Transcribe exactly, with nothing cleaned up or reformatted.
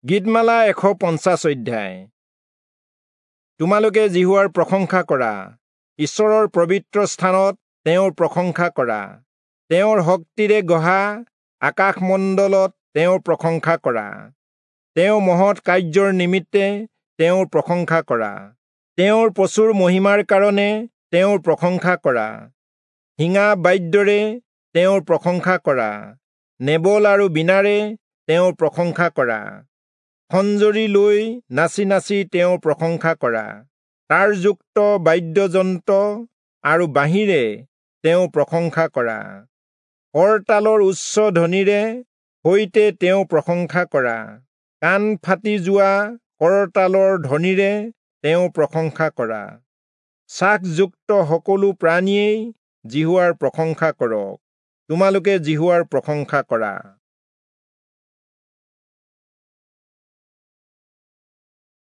গীতমালা এশ পঞ্চাছ অধ্যায়। তোমালোকে যিহোৱাৰ প্ৰশংসা কৰা, ঈশ্বৰৰ পবিত্ৰ স্থানত তেওঁৰ প্ৰশংসা কৰা, তেওঁৰ শক্তিৰে গঢ়া আকাশমণ্ডলত তেওঁৰ প্ৰশংসা কৰা, তেওঁ মহৎ কাৰ্যৰ নিমিত্তে তেওঁৰ প্ৰশংসা কৰা, তেওঁৰ প্ৰচুৰ মহিমাৰ কাৰণে তেওঁৰ প্ৰশংসা কৰা, শিঙা বাদ্যৰে তেওঁৰ প্ৰশংসা কৰা, নেবল আৰু বীণাৰে তেওঁৰ প্ৰশংসা কৰা, খঞ্জৰি লৈ নাচি নাচি তেওঁৰ প্ৰশংসা কৰা, তাৰযুক্ত বাদ্যযন্ত্ৰ আৰু বাঁহীৰে তেওঁ প্ৰশংসা কৰা, কৰতালৰ উচ্চ ধ্বনিৰে সৈতে তেওঁ প্ৰশংসা কৰা, কাণ ফাটি যোৱা কৰতালৰ ধ্বনিৰে তেওঁ প্ৰশংসা কৰা। শ্বাসযুক্ত সকলো প্ৰাণীয়েই যিহোৱাৰ প্ৰশংসা কৰক। তোমালোকে যিহোৱাৰ প্ৰশংসা কৰা।